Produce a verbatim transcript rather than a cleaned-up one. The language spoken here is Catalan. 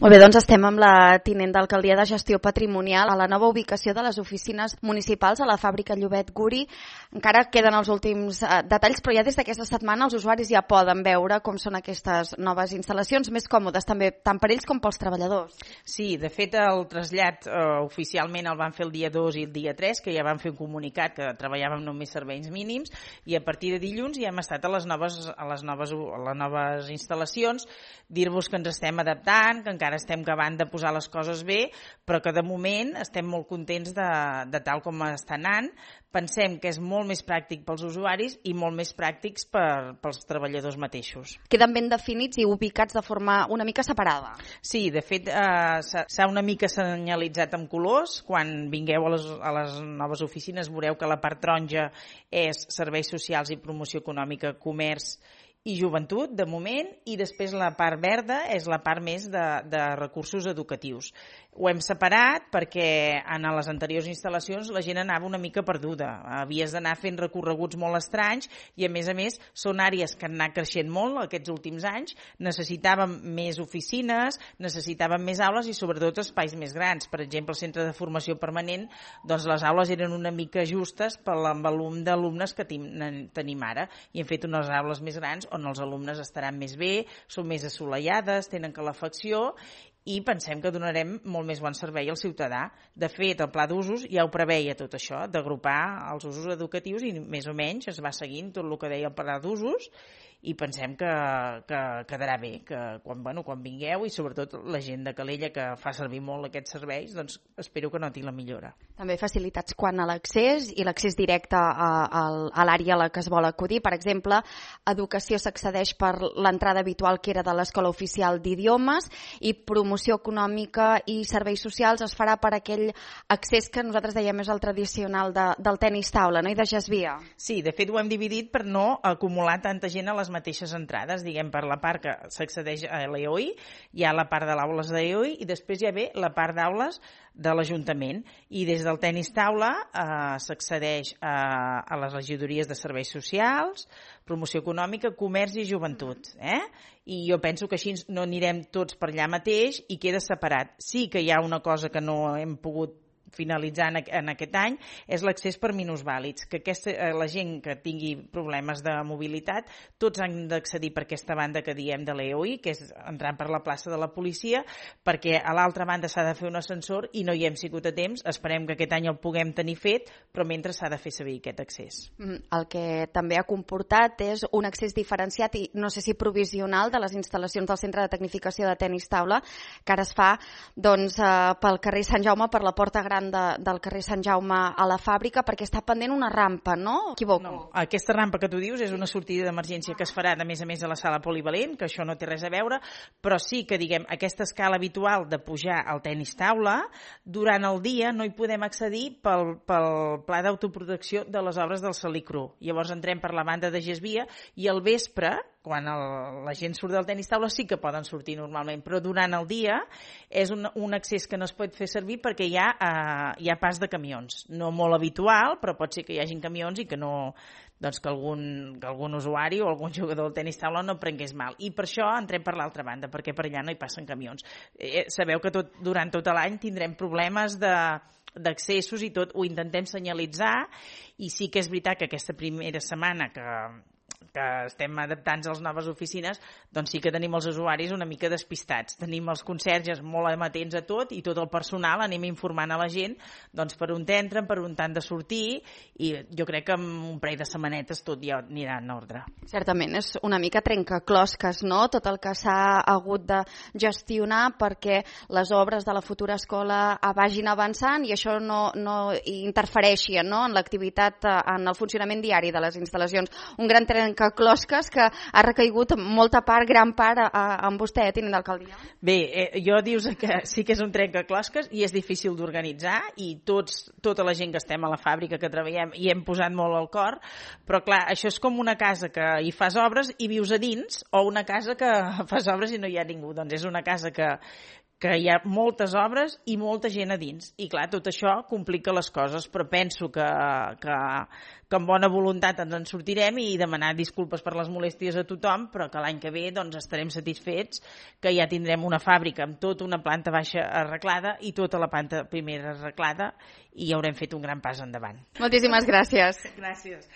Molt bé, doncs estem amb la tinent d'alcaldia de gestió patrimonial a la nova ubicació de les oficines municipals a la fàbrica Llobet Guri. Encara queden els últims eh, detalls, però ja des d'aquesta setmana els usuaris ja poden veure com són aquestes noves instal·lacions, més còmodes també, tant per ells com pels treballadors. Sí, de fet el trasllat eh, oficialment el van fer el dia dos i el dia tres, que ja van fer un comunicat que treballàvem només serveis mínims, i a partir de dilluns ja hem estat a les noves, a les noves, a les noves instal·lacions. Dir-vos que ens estem adaptant, que encara estem acabant de posar les coses bé, però que de moment estem molt contents de, de tal com està anant. Pensem que és molt més pràctic pels usuaris i molt més pràctics per, pels treballadors mateixos. Queden ben definits i ubicats de forma una mica separada. Sí, de fet eh, s'ha una mica senyalitzat amb colors. Quan vingueu a les, a les noves oficines veureu que la part taronja és serveis socials i promoció econòmica, comerç i joventut, de moment, i després la part verda és la part més de, de recursos educatius. Ho hem separat perquè en les anteriors instal·lacions la gent anava una mica perduda. Havies d'anar fent recorreguts molt estranys i, a més a més, són àrees que han anat creixent molt aquests últims anys. Necessitàvem més oficines, necessitàvem més aules i, sobretot, espais més grans. Per exemple, el centre de formació permanent, doncs les aules eren una mica justes pel volum d'alumnes que tenim ara i hem fet unes aules més grans on els alumnes estaran més bé, són més assolellades, tenen calefacció i pensem que donarem molt més bon servei al ciutadà. De fet, el pla d'usos ja ho preveia tot això, d'agrupar els usos educatius i més o menys es va seguint tot el que deia el pla d'usos i pensem que, que quedarà bé, que quan, bueno, quan vingueu i sobretot la gent de Calella que fa servir molt aquests serveis, doncs espero que noti la millora. També facilitats quant a l'accés i l'accés directe a, a, a l'àrea a la que es vol acudir. Per exemple, educació s'accedeix per l'entrada habitual que era de l'Escola Oficial d'Idiomes i promoció econòmica i serveis socials es farà per aquell accés que nosaltres dèiem és el tradicional de, del tenis taula, no? I de Gesvia. Sí, de fet ho hem dividit per no acumular tanta gent a les mateixes entrades, diguem, per la part que s'accedeix a l'E O I, hi ha la part de l'aules d'E O I i després hi ha bé la part d'aules de l'Ajuntament. I des del tenis taula eh, s'accedeix a, a les regidories de serveis socials, promoció econòmica, comerç i joventut. Eh? I jo penso que així no anirem tots per allà mateix i queda separat. Sí que hi ha una cosa que no hem pogut finalitzar en aquest any, és l'accés per minusvàlids, que aquesta, la gent que tingui problemes de mobilitat, tots han d'accedir per aquesta banda que diem de l'E O I, que és entrant per la plaça de la policia, perquè a l'altra banda s'ha de fer un ascensor i no hi hem sigut a temps, esperem que aquest any el puguem tenir fet, però mentre s'ha de fer servir aquest accés. El que també ha comportat és un accés diferenciat i no sé si provisional de les instal·lacions del Centre de Tecnificació de Tenis Taula, que ara es fa doncs, pel carrer Sant Jaume, per la porta gran De, del carrer Sant Jaume a la fàbrica, perquè està pendent una rampa, no? Equivoco? No, aquesta rampa que tu dius és una sortida d'emergència que es farà a més a més a la sala polivalent, que això no té res a veure, però sí que, diguem, aquesta escala habitual de pujar al tenis taula, durant el dia no hi podem accedir pel, pel pla d'autoprotecció de les obres del Salicru. Llavors entrem per la banda de Gesvia i al vespre, quan el, la gent surt del tenis taula sí que poden sortir normalment, però durant el dia és un, un accés que no es pot fer servir perquè hi ha, uh, hi ha pas de camions. No molt habitual, però pot ser que hi hagin camions i que no, doncs que algun, que algun usuari o algun jugador del tenis taula no prengués mal. I per això entrem per l'altra banda, perquè per allà no hi passen camions. Eh, sabeu que tot, durant tot l'any tindrem problemes de d'accessos i tot, ho intentem senyalitzar i sí que és veritat que aquesta primera setmana que que estem adaptant a les noves oficines, doncs sí que tenim els usuaris una mica despistats. Tenim els conserges molt amatents a tot i tot el personal anem informant a la gent doncs per on entren, per on han de sortir i jo crec que amb un parell de setmanetes tot ja anirà en ordre. Certament, és una mica trencaclosques, no? Tot el que s'ha hagut de gestionar perquè les obres de la futura escola vagin avançant i això no, no interfereixi, no? En l'activitat, en el funcionament diari de les instal·lacions. Un gran trencaclosques que closques que ha recaigut molta part, gran part, a, a, amb vostè, eh, tinent d'alcaldia. Bé, eh, jo dius que sí que és un trencaclosques i és difícil d'organitzar i tots, tota la gent que estem a la fàbrica, que treballem, hi hem posat molt al cor, però clar, això és com una casa que hi fas obres i vius a dins o una casa que fas obres i no hi ha ningú. Doncs és una casa que que hi ha moltes obres i molta gent a dins. I clar, tot això complica les coses, però penso que, que, que amb bona voluntat ens en sortirem i demanar disculpes per les molèsties a tothom, però que l'any que ve doncs, estarem satisfets, que ja tindrem una fàbrica amb tota una planta baixa arreglada i tota la planta primera arreglada i ja haurem fet un gran pas endavant. Moltíssimes gràcies. Gràcies.